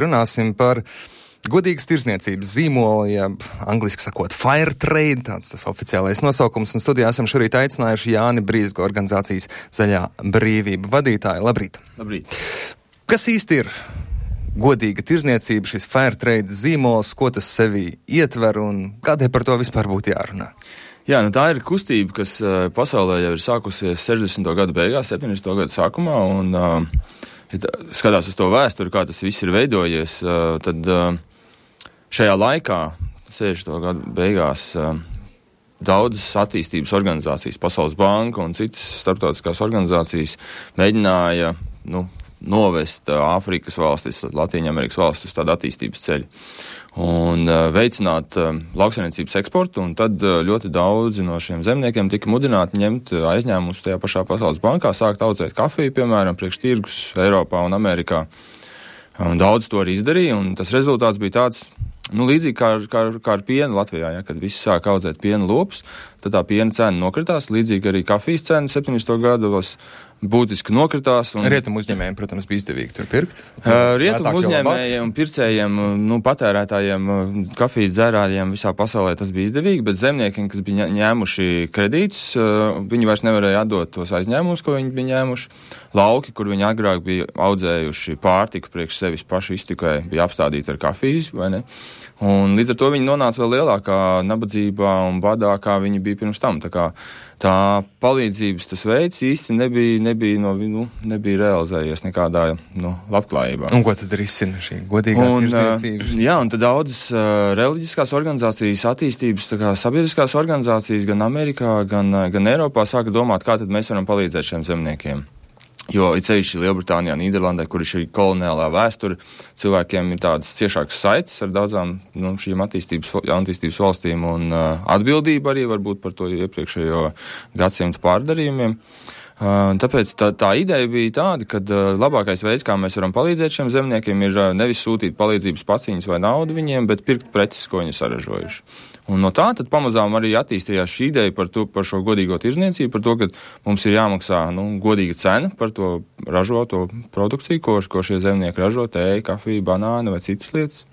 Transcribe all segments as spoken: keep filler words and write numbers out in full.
Runāsim par godīgas tirzniecības zīmolu, jeb angliski sakot fair trade, tāds tas oficiālais nosaukums, un studijā esam šorīt aicinājuši Jāni Brīzgu, organizācijas Zaļā brīvība vadītāju. Labrīt! Labrīt! Kas īsti ir godīga tirzniecība, šis fair trade zīmols, ko tas sevī ietver un kādēļ par to vispār būtu jārunā? Jā, nu tā ir kustība, kas uh, pasaulē jau ir sākusies sešdesmito gadu beigās, septiņdesmito gadu sākumā, un uh, ja tā, skatās uz to vēsturi, kā tas viss ir veidojies, uh, tad uh, šajā laikā, sešdesmito gadu beigās, uh, daudzas attīstības organizācijas, Pasaules banka un citas starptautiskās organizācijas mēģināja, nu, novest Āfrikas valstis, Latīņamerikas valstis uz tādu attīstības ceļu un uh, veicināt uh, lauksaimniecības eksportu, un tad uh, ļoti daudzi no šiem zemniekiem tika mudināti ņemt uh, aizņēmumus tajā pašā Pasaules bankā, sākt audzēt kafiju, piemēram, priekš tirgus Eiropā un Amerikā. Un daudz to arī izdarīja, un tas rezultāts bija tāds, nu, līdzīgi kā ar, kā, kā ar pienu Latvijā, ja, kad visi sāk audzēt piena lopus, tad tā piena cena nokritās, līdzīgi arī kafijas cena septiņdesmito gados būtiski nokritās. Un... Rietumu uzņēmējiem, protams, bija izdevīgi tur pirkt. Uh, Rietumu uzņēmējiem un pircējiem, nu, patērētājiem, kafijas dzērājiem visā pasaulē tas bija izdevīgi, bet zemniekiem, kas bija ņēmuši kredītus, uh, viņi vairs nevarēja atdot tos aizņēmumus, ko viņi bija ņēmuši. Lauki, kur viņi agrāk bija audzējuši pārtiku priekš sevis pašu iztikai, bija apstādīti ar kafijas, vai ne? Un līdz ar to viņi nonāca vēl lielākā nabadzībā un badā, kā viņi bija pirms tam. Tā kā tā palīdzības tas veids īsti nebija, nebija, no, nu, nebija realizējies nekādā nu, labklājībā. Un ko tad risina šī godīgā tirzniecība? Jā, un tad daudzas uh, reliģiskās organizācijas, attīstības, tā kā sabiedriskās organizācijas gan Amerikā, gan, gan Eiropā sāka domāt, kā tad mēs varam palīdzēt šiem zemniekiem. Jo it sevišķi Lielbritānijā, Nīderlandē, kur ir šī koloniālā vēsture, cilvēkiem ir tādas ciešākas saites ar daudzām nu, šīm attīstības, attīstības valstīm un uh, atbildība arī varbūt par to iepriekšējo gadsimtu pārdarījumiem. Uh, tāpēc tā, tā ideja bija tāda, ka uh, labākais veids, kā mēs varam palīdzēt šiem zemniekiem, ir uh, nevis sūtīt palīdzības paciņas vai naudu viņiem, bet pirkt preces, ko viņi saražojuši. Un no tā tad pamazām arī attīstījās šī ideja par, to, par šo godīgo tirzniecību, par to, ka mums ir jāmaksā nu, godīga cena par to ražoto produkciju, ko, ko šie zemnieki ražo, tēja, kafija, banāna vai citas lietas.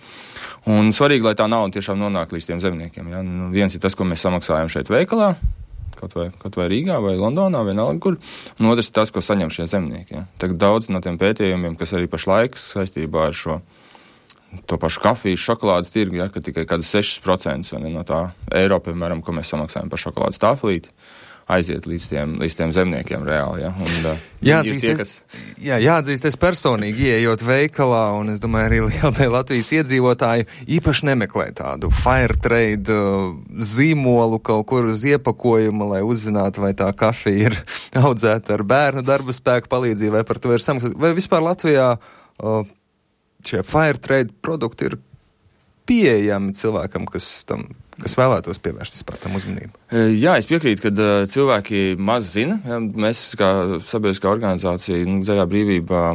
Un svarīgi, lai tā nauda tiešām nonāk līdz tiem zemniekiem. Ja? Nu, viens ir tas, ko mēs samaksājam šeit veikalā, kaut vai, kaut vai Rīgā vai Londonā, vienalga kur, un otrs ir tas, ko saņem šie zemnieki. Ja? Tagad daudz no tiem pētījumiem, kas arī pašlaik saistībā ar šo to pašu kafijas, šokolādes tirgu, ja, ka tikai kādus sešus procentus no tā eiro, piemēram, ko mēs samaksājam par šokolādes tāflīti, aiziet līdz tiem, līdz tiem zemniekiem reāli. Ja. Un, jāatzīst, tie, kas... jā, jāatzīst, es personīgi ieejot veikalā, un es domāju, arī liela daļa Latvijas iedzīvotāju īpaši nemeklē tādu fair trade uh, zīmolu kaut kur uz iepakojuma, lai uzzinātu, vai tā kafija ir audzēta ar bērnu darba spēku palīdzību, vai par to ir samaksāta. Vai vispār Latvijā uh, šie fair trade produkti ir pieejami cilvēkam, kas, tam, kas vēlētos pievērst vispār tam uzmanību? Jā, es piekrītu, ka uh, cilvēki maz zina. Ja, mēs kā sabiedriskā organizācija, nu, Zaļā brīvība,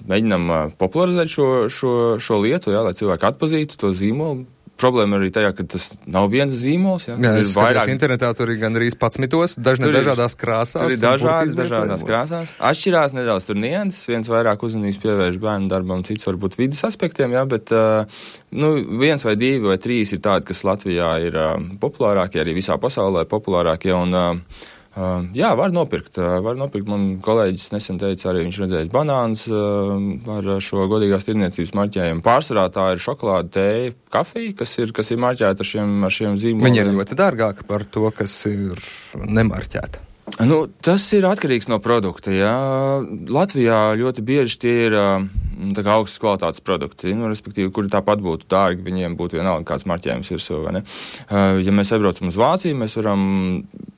mēģinam uh, popularizēt šo, šo, šo lietu, ja, lai cilvēki atpazītu to zīmolu. Problēma arī tajā, ka tas nav viens zīmols. Ja, jā, es vairāk... internetā tur ir gan arī patsmitos, dažne tur dažādās krāsās. Tur ir dažādas, dažādās krāsās. Atšķirās nedaudz tur nianses, viens vairāk uzmanības pievērš bērnu darbam, cits varbūt vidas aspektiem, jā, bet uh, nu, viens vai divi vai trīs ir tādi, kas Latvijā ir uh, populārākie, arī visā pasaulē populārākie, un uh, Uh, jā, var nopirkt. Uh, var nopirkt. Man kolēģis nesen teica, arī viņš redzējis banānus uh, ar šo godīgās tirdzniecības marķējumu. Pārsvarā tā ir šokolāde, tēja, kafija, kas ir, kas ir marķēta ar šiem, ar šiem zīmoliem. Viņi ir ļoti dārgāki par to, kas ir nemarķēta. Nu, tas ir atkarīgs no produkta. Jā. Latvijā ļoti bieži tie ir tā kā augstas kvalitātes produkti, nu, respektīvi, kuri tāpat būtu dārgi, viņiem būtu vienalga kāds marķējums virsū, vai ne? Ja mēs aizbraucam uz Vāciju, mēs varam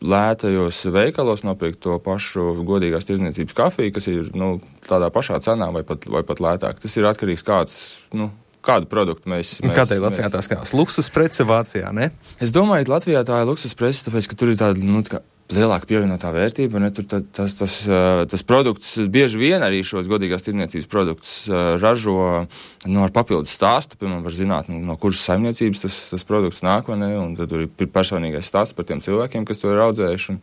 lētajos veikalos nopirkt to pašu godīgās tirdzniecības kafiju, kas ir, nu, tādā pašā cenā vai pat, vai pat lētāk. Tas ir atkarīgs kāds, nu, kādu produktu mēs... mēs Kādēļ Latvijā mēs... tā skatās? Luksus prece Vācijā, ne? Es domāju, ka Latvijā tā ir luksus prece, tāpēc, ka tur ir tāda, nu, tā kā lielāka pievienotā vērtība, ne, tur tas, tas, tas produkts bieži vien arī šos godīgās tirdzniecības produktus ražo nu, ar papildus stāstu, piemēram, var zināt, nu, no kuras saimniecības tas, tas produkts nāk, vai ne, un tad tur ir personīgais stāsts par tiem cilvēkiem, kas to ir audzējuši, un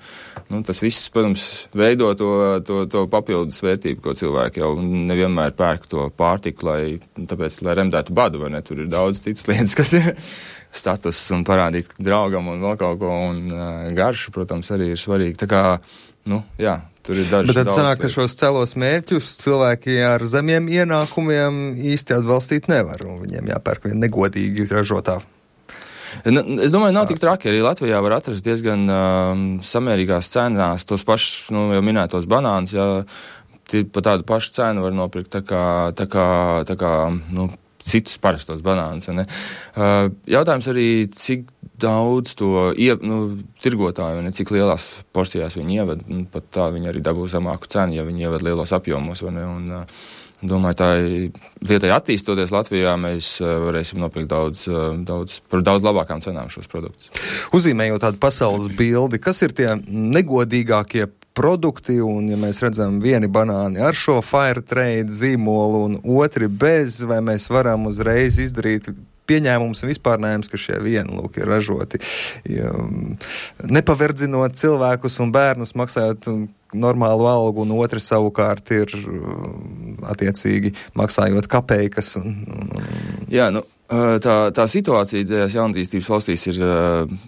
nu, tas viss, protams, veido to, to, to papildus vērtību, ko cilvēki jau nevienmēr pērk to pārtiku, lai, tāpēc, lai remdētu badu, vai ne, tur ir daudz citas lietas, kas ir status un parādīt draugam un vēl kaut ko, un uh, garšu, protams, arī ir svarīgi. Tā kā, nu, jā, tur ir daži. Bet tad sanāk, ka šos celos mērķus cilvēki ar zemiem ienākumiem īsti atbalstīt nevar, un viņiem jāpērk vien negodīgi ražotā. Es domāju, nav tik traki. Arī Latvijā var atrast diezgan um, samērīgās cenās tos pašus, nu, jau minētos banānus, jā, pa tādu pašu cenu var nopirkt, tā kā, tā kā, tā kā, nu, citus parastos banānus. Ne? Uh, jautājums arī, cik daudz to ie, nu, tirgotāju, ne, cik lielās porcijās viņi ieved, nu, pat tā viņi arī dabū zemāku cenu, ja viņi ieved lielos apjomos. Ne? Un, uh, domāju, tā lietai attīstoties Latvijā, mēs uh, varēsim nopirkt daudz, uh, daudz, par daudz labākām cenām šos produktus. Uzzīmējot tādu pasaules bildi, kas ir tie negodīgākie produkti, un ja mēs redzam vieni banāni ar šo fair trade zīmolu un otri bez, vai mēs varam uzreiz izdarīt pieņēmums un vispārnējums, ka šie vieni, lūk, ir ražoti, ja, nepaverdzinot cilvēkus un bērnus, maksājot normālu algu, un otri savukārt ir attiecīgi maksājot kapeikas. Un, un, un... Jā, nu, tā, tā situācija tajās jaunatīstības valstīs ir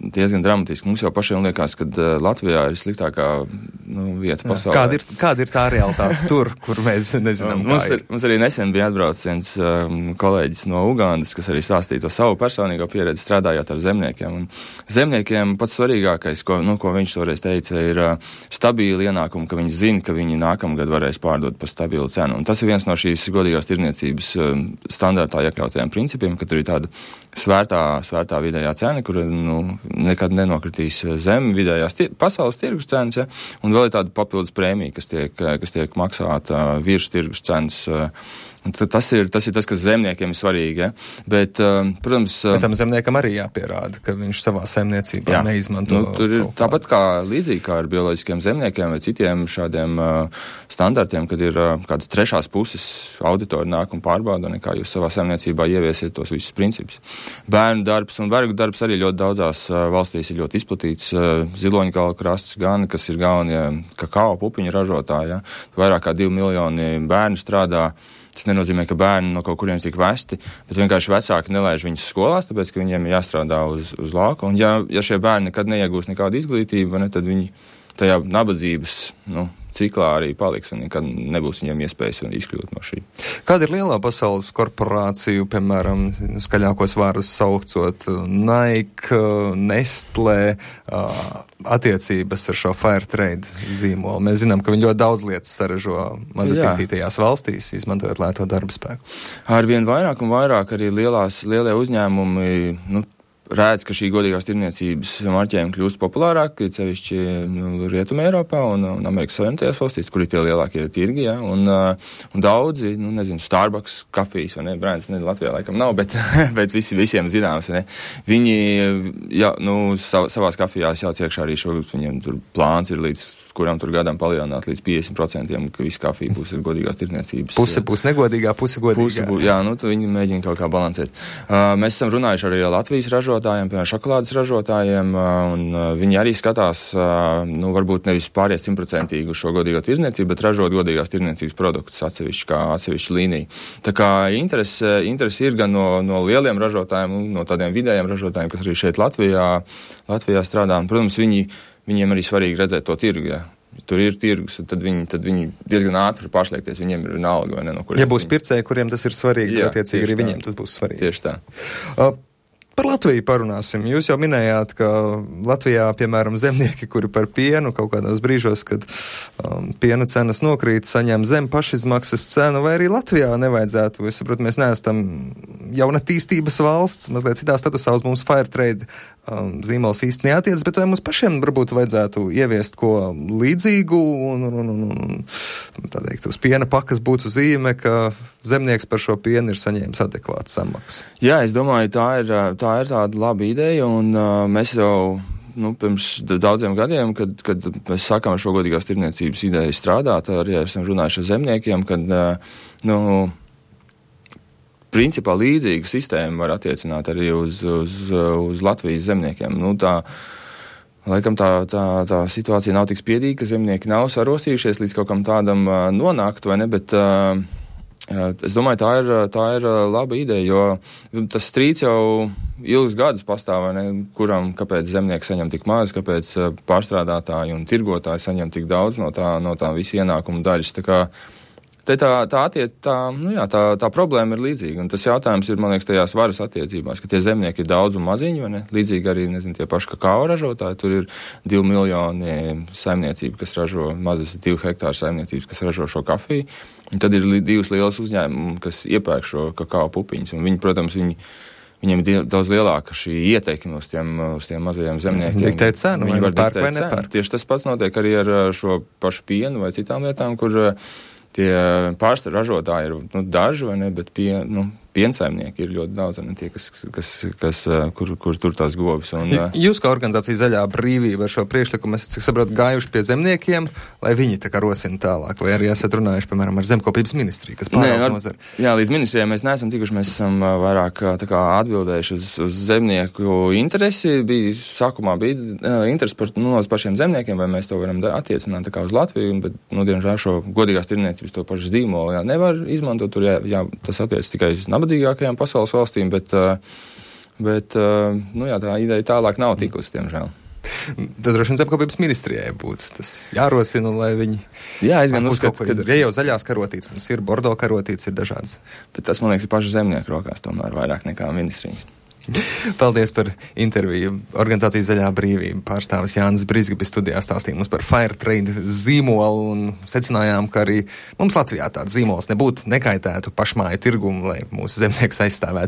diezgan dramatiska. Mums jau pašiem liekas, ka Latvijā ir sliktākā nu, vieta pasaulē. Kāda ir, kāda ir tā realitāte tur, kur mēs nezinām, kā mums ir? ir? Mums arī nesen bija atbraucis viens um, kolēģis no Ugandas, kas arī stāstīja to savu personīgo pieredzi strādājot ar zemniekiem. Un zemniekiem pats svarīgākais, ko, nu, ko viņš toreiz teica, ir uh, stabili ienākumi, ka viņi zina, ka viņi nākamgad varēs pārdot par stabilu cenu. Un tas ir viens no šīs godīgās tirdzniecības um, standartā iekļautajiem principiem, ka tur ir tāda svērtā, svērtā vidējā cena, kur nu, nekad nenokritīs zem vidējās tir- pasaules tirgus cenas, ja? Un vēl ir tāda papildus prēmija, kas tiek, kas tiek maksāta virs tirgus cenas. Tas ir, tas ir tas, kas zemniekiem ir svarīgi, ja? Bet, protams... Bet tam zemniekam arī jāpierāda, ka viņš savā saimniecībā jā, neizmanto... Nu, tur ir tāpat kā līdzīgi kā ar bioloģiskiem zemniekiem vai citiem šādiem uh, standartiem, kad ir uh, kādas trešās puses auditori nāk un pārbauda, nekā jūs savā saimniecībā ieviesiet tos visus principus. Bērnu darbs un vergu darbs arī ļoti daudzās uh, valstīs ir ļoti izplatīts. Uh, Ziloņkalu krasts gan, kas ir galvenie kakao pupiņu ražotāji, ja? Vairāk kā divi miljoni bērnu strādā. Tas nenozīmē, ka bērni no kaut kurienes tiek vesti, bet vienkārši vecāki nelaiž viņus skolās, tāpēc, ka viņiem ir jāstrādā uz, uz lauka. Un ja, ja šie bērni nekad neiegūs nekādu izglītību, ne, tad viņi tajā nabadzības, nu, ciklā arī paliks un nekad nebūs viņiem iespējas izkļūt no šī. Kāda ir lielā pasaules korporāciju, piemēram, skaļākos vārdus saucot Nike, Nestlé, attiecības ar šo fair trade zīmolu? Mēs zinām, ka viņi ļoti daudz lietas saražo mazatīstītajās valstīs, izmantojot lēto darba spēku. Arvien vairāk un vairāk arī lielās, lielie uzņēmumi, nu, redz, ka šī godīgās tirdzniecības marķējumi kļūst populārāk, cevišķi nu, Rietuma Eiropā un, un Amerikas Savienotajās valstīs, kur ir tie lielākie tirgi, ja, un, un daudzi, nu, nezinu, Starbucks kafijas, vai ne, brands, ne, Latvijā laikam nav, bet, bet visi, visiem zināms, ne, viņi, jā, nu, sav, savās kafijās jāliek iekšā arī šo, viņiem tur plāns ir līdz kuram tur gadam palielināt līdz piecdesmit procentiem, ka visa kafija būs ar godīgās tirdzniecības. Puse būs negodīgā, puse godīgā. Puse būs, jā, nu, viņi mēģina kaut kā balansēt. Uh, mēs esam runājuši arī ar Latvijas ražotājiem, piemēram, šokolādes ražotājiem, uh, un uh, viņi arī skatās, uh, nu, varbūt nevis pāriet simtprocentīgi uz šo godīgo tirdzniecību, bet ražot godīgās tirdzniecības produktus atsevišķi kā atsevišķi līnija. Tā kā interese, interese ir gan no, no lieliem ražotājiem, no tādiem vidējiem ražotājiem, kas arī šeit Latvijā, Latvijā strādā. Un, protams, viņi Viņiem arī svarīgi redzēt to tirgu, ja. Tur ir tirgus, tad viņi, tad viņi diezgan ātri var pārslēgties, viņiem ir vienalga, vai ne, no kuriem. Ja būs viņi... pircēji, kuriem tas ir svarīgi, jā, attiecīgi arī tā. viņiem tas būs svarīgi. Tieši tā. Uh, Par Latviju parunāsim. Jūs jau minējāt, ka Latvijā, piemēram, zemnieki, kuri par pienu kaut kādos brīžos, kad um, piena cenas nokrīt, saņem zem pašizmaksas cenu, vai arī Latvijā nevajadzētu. Es saprotu, mēs neesam jaunatīstības valsts, mazliet citā statusā uz mums fair trade um, zīmols īsti neatiec, bet vai mums pašiem varbūt vajadzētu ieviest ko līdzīgu un, un, un, un tā teikt, uz piena pakas būtu zīme, ka zemnieks par šo pienu ir saņēmis adekvātu samaksu. Jā, es domāju, tā ir, tā ir tāda laba ideja, un uh, mēs jau nu, pirms daudziem gadiem, kad, kad mēs sākām šo godīgās tirdzniecības ideju strādāt, arī esam runājuši ar zemniekiem, kad, nu, principā līdzīgu sistēmu var attiecināt arī uz, uz, uz Latvijas zemniekiem. Nu, tā, laikam tā, tā, tā situācija nav tik spiedīga, ka zemnieki nav sarosījušies līdz kaut kam tādam nonākt, vai ne, bet es domāju, tā ir, tā ir laba ideja, jo tas strīds jau ilgus gadus pastāv, vai ne, kuram, kāpēc zemnieki saņem tik maz, kāpēc pārstrādātāji un tirgotāji saņem tik daudz no tā, no tā visu ienākumu daļas. Tā kā te tā, tā, attiec, tā, nu jā, tā, tā problēma ir līdzīga, un tas jautājums ir, man liekas, tajās varas attiecībās, ka tie zemnieki ir daudz un maziņi, vai ne? Līdzīgi arī, nezinu, tie paši kakao ražotāji, tur ir divi miljoni saimniecību, kas ražo, mazas divu hektāru saimniecības, kas ražo šo kafiju, un tad ir li, divas lielas uzņēmumi, kas iepērk šo kakao pupiņus, un viņi, protams, viņi viņiem ir daudz lielāka šī ieteikuma uz tiem, uz tiem mazajiem zemniekiem. Diktēt cenu, viņi vai var pērk vai diktēt nepērk. Tieši tas pats notiek arī ar šo pašu pienu vai citām lietām, kur tie pārstāvju ražotāji ir, nu, daži, vai ne, bet pie, nu, piensaimnieki ir ļoti daudz, ne tie, kas, kas, kas kur, kur tur tās govis. Un, jūs kā organizācija Zaļā brīvība ar šo priekšlikumu, es cik saprotu, gājuši pie zemniekiem, lai viņi tā kā rosina tālāk, vai arī esat runājuši, piemēram, ar zemkopības ministriju, kas pārāk nozara? Jā, līdz ministrijai mēs neesam tikuši, mēs esam vairāk tā kā atbildējuši uz, uz zemnieku interesi. Bija, sākumā bija interesi par, nu, uz pašiem zemniekiem, vai mēs to varam attiecināt tā kā uz Latviju, bet, nu, diemžēl šo godīgās tirdzniecības to pašu zīmolu, jā, nevar izmantot, tur, jā, jā, tas attiec tikai uz nabadzīgākajām pasaules valstīm, bet, bet nu jā, tā ideja tālāk nav tikusi, diemžēl. Tad droši vien zemkopības ministrijai būtu tas jārosina, lai viņi... Jā, es gan uzskatu, ka... Ja jau zaļās karotītes, mums ir bordo karotītes, ir dažādas. Bet tas, man liekas, ir paši zemnieku rokās tomēr vairāk nekā ministrijas. Paldies par interviju. Organizācijas Zaļā brīvība pārstāvis Jānis Brizgabis studijā stāstīja mums par Fair Trade zīmolu un secinājām, ka arī mums Latvijā tāds zīmols nebūtu nekaitētu pašmāju tirgumu, lai mūsu zemnieks aizstāvētu.